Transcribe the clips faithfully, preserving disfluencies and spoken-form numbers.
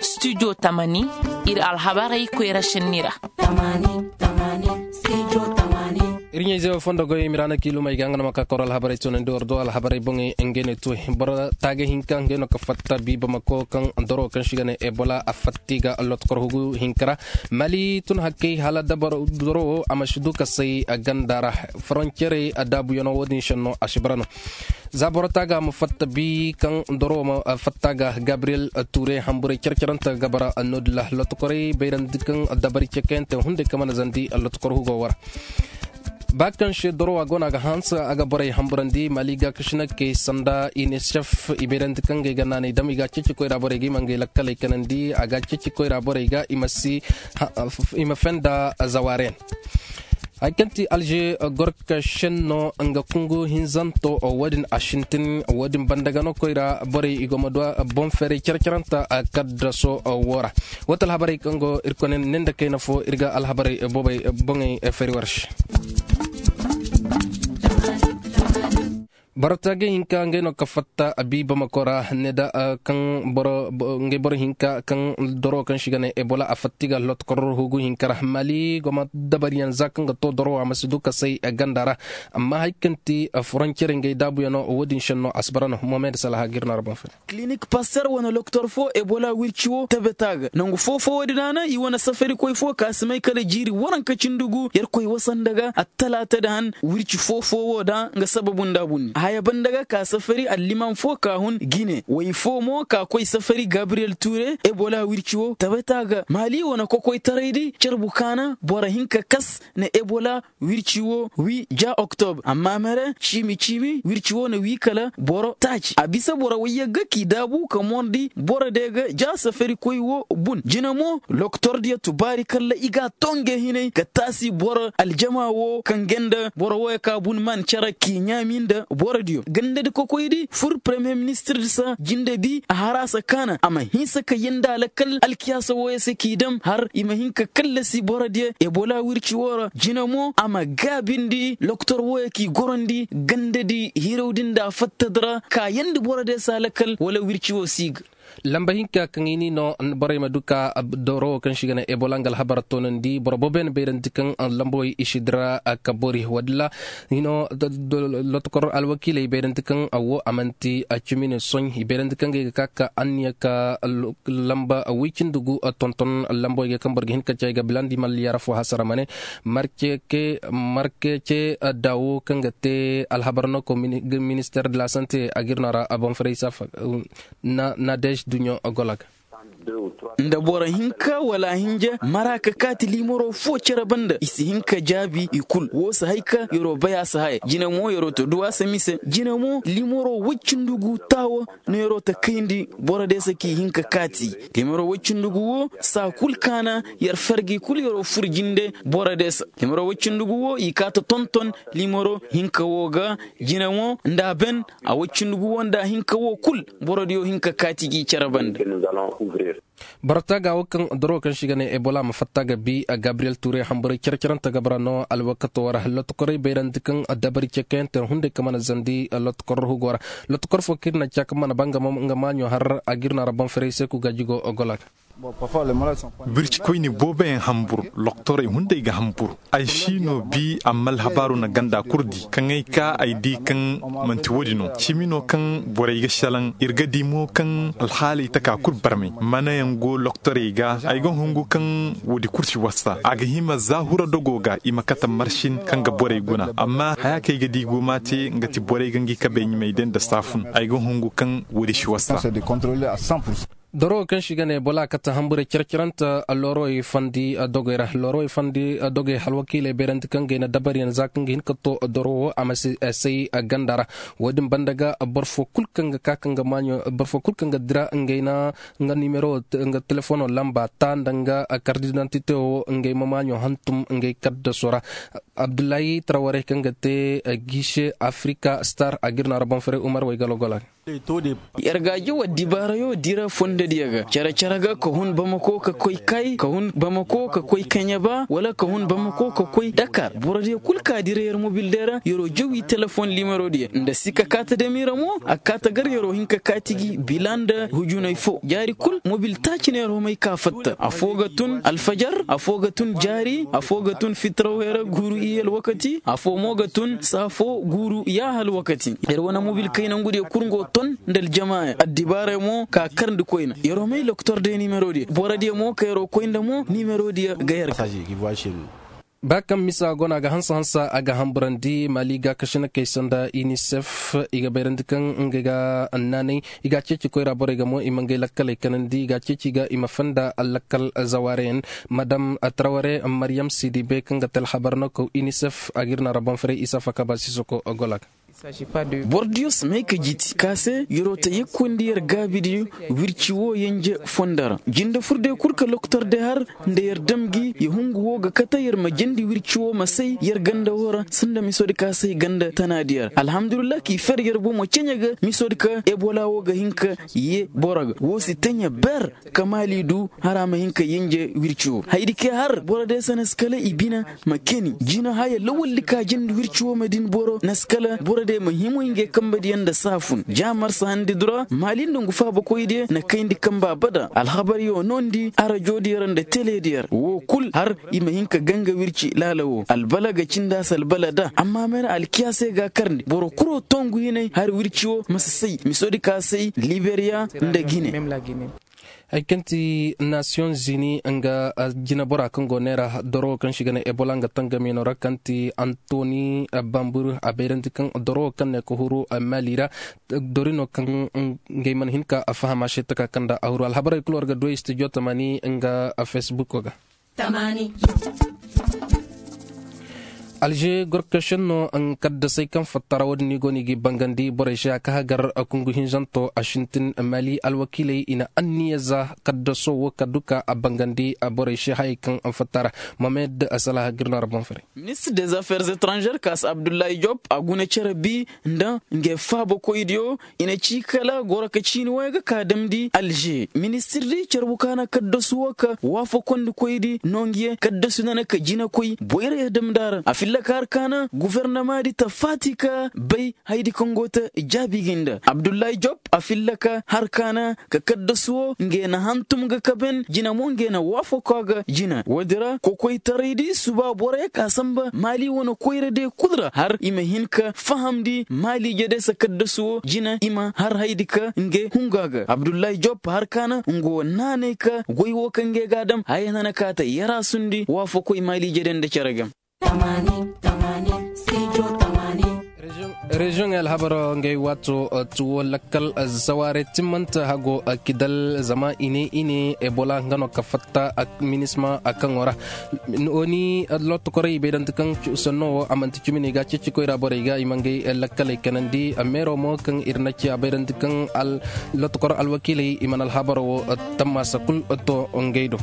Studio tamani, ir alhabarey koyra šenni ra. Ir ɲayze wo fondo goy mirana kiilumey ga nga no ma ka koro alhabarey tunandi war do alhabarey boŋey ngey ne tuwey boro taaga hinka ngey no ka fatta bi bamako kaŋ doro kaŋ si ga ne ebola a fatti ga lotokor hugu hinka ra. Mali tun hakkey hala doro wo a ma si du ka say ganda ra. Foroncere daabuyaŋo wo-din šenno a si bara no. Za boro taaga ma fatta bi kaŋ doro ma fatta ga gabriyel ture hamburey care-carante ga bara no-din ra lotokorey bayrandi kaŋ dabari cekayante hunday ka mana zandi lotokor hugo wara. Ba kaŋ se dorowa go no a ga hanse a ga borey hamburandi mali ga kasinakey sanda inisef i bayrandi kaŋ ga ay ga naanay dam i ga a ceeci koyra borey ga i ma ngey lakkaley kanandi a ga a ceeci koyra borey ga i ma si i ma fenda zawaaren. Hay kaŋ ti alže gorka senno nga kungu hinzanto wo-din a sintin wo-din banda ga no koyra borey i go ma du boŋ feeray care-caranta kaddaso wo ra. Wata alhabarey kaŋ go ir kone ne nda kayna fo ir ga alhabarey boobey boŋey feeri war se. Boro taagay hinka ngey no ka fatta abi bamako ra ne da kaŋ boro ngey boro hinka kaŋ doro kaŋ si ga ne ebola a fatta i ga lotokor hugu hinka ra mali go ma dabariyaŋ za kaŋ ga to doro a ma si du ka say ganda ra. Amma hari kaŋ ti foroncere ngey daabuyaŋo wo-din senno a si bara no mohamed salaha ga ir no a ra boŋ fere. Kilinik paster wane loktor fo ebola wirci wo tabeta ga nangu foo-foo wo-din a na i wane safarikoy fo ka si may kala jiiri waranka cindi gu yerkoy wasanda ga attalaata da han wirci foo-foo wo da nga sababu nda bunni a haya banda ga ka safari allimam fo ka hun gine way foo mo ka koy safari gabriyel ture ebola wirci wo tabeta ga maali wane kokoytaray di carbu ka na boro hinka kas na ebola wirci wo wi ja oktobre amma mere ciimi-ciimi wirci wo na wi kala boro taaci a bisa boro wayyaŋ ga k'i daabu ka morndi boro de ga ja safarikoy wo bun jina mo loktor diyo tubaari kalla i ga a to nge hinay ka taasi boro aljama wo kaŋ ganda boro wooyo ka bun man care k'i ɲaami nda boro diyo ganda di kokoy di fur premiyer ministir di sa jinde bi a haraasa kaana a ma hinsa ka yanda lakkal alkiyaasa wooyo se k'i dam har i ma hin ka kallasi boro diyo ebola wirci woo ra jina mo a ma gaabindi loktor wooyo k'i gorandi ganda di hirawdi nda fattadi ra kaayandi boro diyo se a lakkal wala wirci woo si ga. Lamba hinka kaŋ i ni no borey ma du ka doro woo kaŋ si ga ne ebola nga alhabar toonandi boro booboyaŋ bayrandi kaŋ lambawey i si dira ka bori wadilla. Hino lotokor alwakiiley i bayrandi kaŋ a wo a man'ti cimine soy i bayrandi kaŋ ga ay ga ka ka anniya ka lamba woy cindi gu tonton lambawey ga kaŋ boro ga hin ka ci ay ga bilandi malliyaara fo hasara ma ne markece daawo kaŋ ga te alhabar no ko minister de la sante a ga ir no a ra a boŋ faray safa. Nadej duɲo golak. Nda boro hinka wala hinja mara ka kaati liimaro fo cere banda i si hin ka jaabi i kul woo si hay ka yeroo bay a si haya jina mo yeroo to duw'a se mise jina mo liimaro woy cindi gu taawo no yeroo ta kayndi boro de se k'i hin ka kaati. Liimaro woy cindi gu woo saa kul kaana yer fergi kul yeroo fur jinde boro de se. Liimaro woy cindi gu woo i kaa ta tonton liimaro hinka woo ga jina mo nda a ben a woy cindi gu woo nda a hinka woo kul boro diyo hin ka kaati g'i cere banda. Boro taaga woo kaŋ doro kaŋ si ga ne ebola ma fatta ga bi gabriyel ture hamburay cere-cerenta ga bara no alwakato ra lotokorey bayrandi kaŋ dabari cekayante hunday ka mana zandi lotokor hugo ra. Lotokor fo kaŋ ir na ca kaŋ mana ba nga maaɲo har a ga ir no a ra boŋ ferey se ku gaaji go ogola ga. Birci koyne booboyaŋ hambur loktorey hunday ga hambur. Ay si no bi amma alhabaaru na ganda kul di kaŋ ay ka ay di kaŋ man'ti woodi no cimi no kaŋ borey ga selaŋ ir ga di mo kaŋ alhaaley taka kul barmay manayaŋ go loktorey ga ay ga hungu kaŋ woodi kul si wasa a ga hima za hura dogo ga i ma kate marsin kaŋ ga borey guna amma haya kaŋ ay ga di go m'a te nga ti borey ga ngi kabey ɲumay day nda saafun ay ga hungu kaŋ woodi si wasa. Doro kaŋ si ga ne bola kate hamburey cere-cerenta loorowey fandi dogey ra loorowey fandi dogey alwakiiley bayrandi kaŋ ga ay na dabariyaŋ za kaŋ ga hin ka to doro wo a ma si say ganda ra. Woodin banda ga boro fo kul kaŋ ga ka kaŋ ga maaɲo boro fo kul kaŋ ga dira ngey na nga nimero nga telefono lamba ta nda nga kardidantite wo ngey ma maaɲo hantum ngey kaddaso ra. Abdullahi traware kaŋ ga te gise afrika star a ga ir no a ra boŋ fere umar waygalo gola. Yer ga a jaw addibaarayo dira fondo. Diya ga cere-cere ga ka hun bamako ka koy kay ka hun bamako ka koy kaɲaba wala ka hun bamako ka koy dakar borodiyo kul ka dira yer mobil day ra yer'o jawi telefon limero diya nda si ka kaata dami ra mo a kaata gar yer'o hin ka kaati gi bila nda hujunay fo jaari kul mobil taaci no yer'o may ka fatta afo ga tun alfajar afo ga tun jaari afo ga tun fitraw hera guuru iyye alwakati afo mo ga tun saafo guuru yaaha alwakati. Yer wane mobil kaynangudiyo kul ngo ton nda aljama addibaarey mo ka karndi koyna yer'o may loktor day nimero diyo boro diyo mo ka yer'o koy nda mo nimero diyo ga yer ga. Ba kaŋ misa go no a ga hansa hansa a ga hamburandi maali gaakasinakey se nda inisef i ga bayrandi kaŋ ngey ga naanay i ga a ceeci koyra borey ga mo i ma ngey lakkaley kanandi i ga a ceeci ga i ma fanda lakkal zawareyaŋ. Madam traware maryam sidibe kaŋ ga te alhabar no kaw inisef a ga ir no a ra boŋ faray isa faka ba sisoko gola ga. Boro diyo si may ka jiti ka se yer'o ta yekkoyndi yer gaabidiyo wirci wo yenje fondo ra jinde furday kul ka loktor day har nda yer dam gi ya hungu wo ga kate yer ma jandi wirci wo ma say yer ganda wo ra sanda misodi ka say ganda tanaadi yer alhamdulillah k'i fer yer bomo ceɲe ga misodi ka ebola wo ga hin ka ye boro ga wo si teɲe ber ka maali du hara ma hin ka yenje wirci wo haydi ke har boro day se na si kala i bina ma keni jina haya lawaldi ka jindi wirci wo ma din boro na si kala boro day ma himo ngey kambadiyaŋ nda saafun ja marsa handi dura maali nda ngu faabakoydiyo na kayndi kamba abada alhabaryo noondi arajodiyo ra nda telediyo ra wo kul har i ma hin ka ganga wirci laala wo albala ga cindi a se albala da amma mene alkiyaasey ga a karndi boro kuro tongu hinay har wirci wo ma si say misodi ka say liberiya nda gine. Hari kaŋ ti nasiyoŋ zini nga jinebora kaŋ go neera doro kaŋ se i ga ne ebola nga tangamyaŋo ra kaŋ ti antoni bambur a bayrandi kaŋ doro kaŋ ne ka huru mali ra dori no kaŋ ngey mana hin ka faham a se taka kaŋ nda a huru alhabarey kulu war ga du ay studio tamani nga facebook ga. Alže gorkašen no kaddasey kaŋ fattara wo-din ni go no i ga i bangandi borey se a ka hagar kungu hinzanto a sintin mali alwakiiley i na anniya za kaddaso wo ka duka a bangandi borey se hayey kaŋ fattara mohamed salaha ga ir no a ra boŋ fare. Ministir des affaires étrangères kaas abdullahi job a guna cere bi nda ngey faabakoydiyo i na ci kala goro ka ciini waya ga ka damndi alže ministirdi carbu ka na kaddasu wo ka waafakondikoydi nonguyaŋ kaddasu nana ka jinakoy boyra ya damndi a ra a filla ka har ka na gufernamaadi ta faati ka bay haydi kaŋ go ta jaabi gi nda abdullahi job a filla ka har ka na ka kaddasu wo ngey na hantum ga kaben jina mo ngey na waafako a ga jina woodi ra kokoytaraydi suba borey ka samba maali wane koyra day kul ra har i ma hin ka fahamndi maali jadesa kaddasu wo jina i ma har haydi ka ngey hungu a ga abdullahi job har ka na nga wo naanay ka goy wo kaŋ ngey ga a dam haya nana ka ta yaraasundi waafakoy maali jade nda cere game. Reziyoŋey alhabaro ngey waato tuwo lakkal zawaare timmanta hago kidal zama i ne i ne ebola nga no ka fatta minisma a kaŋo ra. Oni lottokorey i bayrandi kaŋ sanno wo a manti cumi no i ga a ceeci koyra borey ga i ma ngey lakkaley kanandi meero mo kaŋ ir na ci a bayrandi kaŋ lotokor alwakiiley i mana alhabaro wo tammaasa kul to ngey do.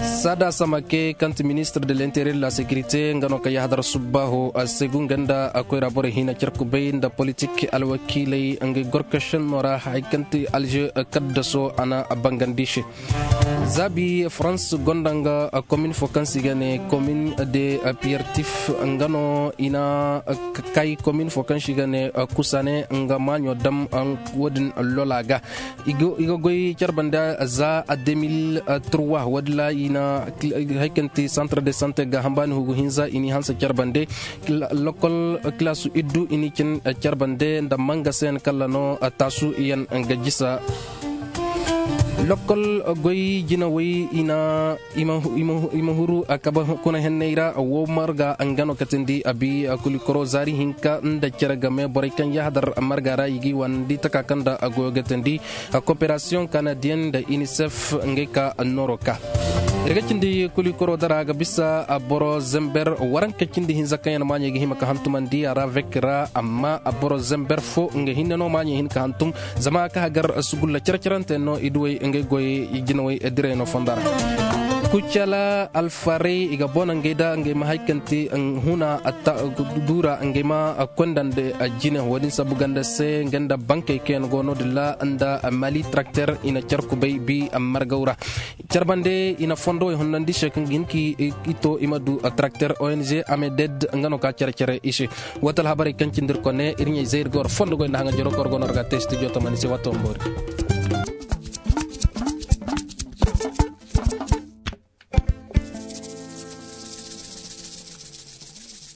Sada samake kaŋ ti ministir de l'interieur de la sécurité nga no ka yahadar subbaaho a segu nga nda a koyra borey hina carkubay nda politik alwakiiley nga gorkašenno ra hay kaŋ ti alže kaddaso a na bangandi se. Zaabi farans gonda nga komin fo kaŋ se i ga ne komin de piertif nga no i na kay komin fo kaŋ se i ga ne kusane nga maaɲo dam wo-din lola ga. I ga goy care bande za deux mille trois wo-din ra i na hay kaŋ ti centre de santé ga hambaani hugu hinza i n'i hanse care bande. Lokol kilaasu iddu i n'i cin care bande nda mangaseyaŋ kalla no taasu yaŋ ga jisa. Lokol goy jinawey i na i ma huru a kabe kuna henney ra wo marga nga no katandi a bi kulikoro zaari hinka nda cere game borey kaŋ yahadar marga ra i ga i wanandi taka kaŋ nda a goyo gatandi. Koperasiyoŋ kanadiyen nda inisef ngey ka nooro ka ir ga cindi kulikoro dara ga bisa boro zember waranka cindi hinza kaŋ yaŋ maaɲey ga hima ka hantumandi a ra vek ra amma boro zember fo nga hinne no maaɲey hin ka hantum. Zama ka hagar sugulla cere-cerante no i duwey ngey goyey jinawey direy no fonda ra. Kucala alfarey i ga bona ngey da ngey ma hay kaŋ ti huna duura ngey ma kondandi jine wo- din sabu ganda se ngey nda bankey kaŋ yaŋ go no- din ra nda mali trakter i na care kubay bi margaw ra. Care bande i na fondowey honnandi se kaŋ ga hin ka i to i ma du trakter ong ameded nga no ka care care i se. Wata alhabarey kaŋ cindi ir kone ir ɲey zay ir ga war fondogoy nda haŋa jaro kaŋ war go no ir ga a te studio tamani se waati wamboori.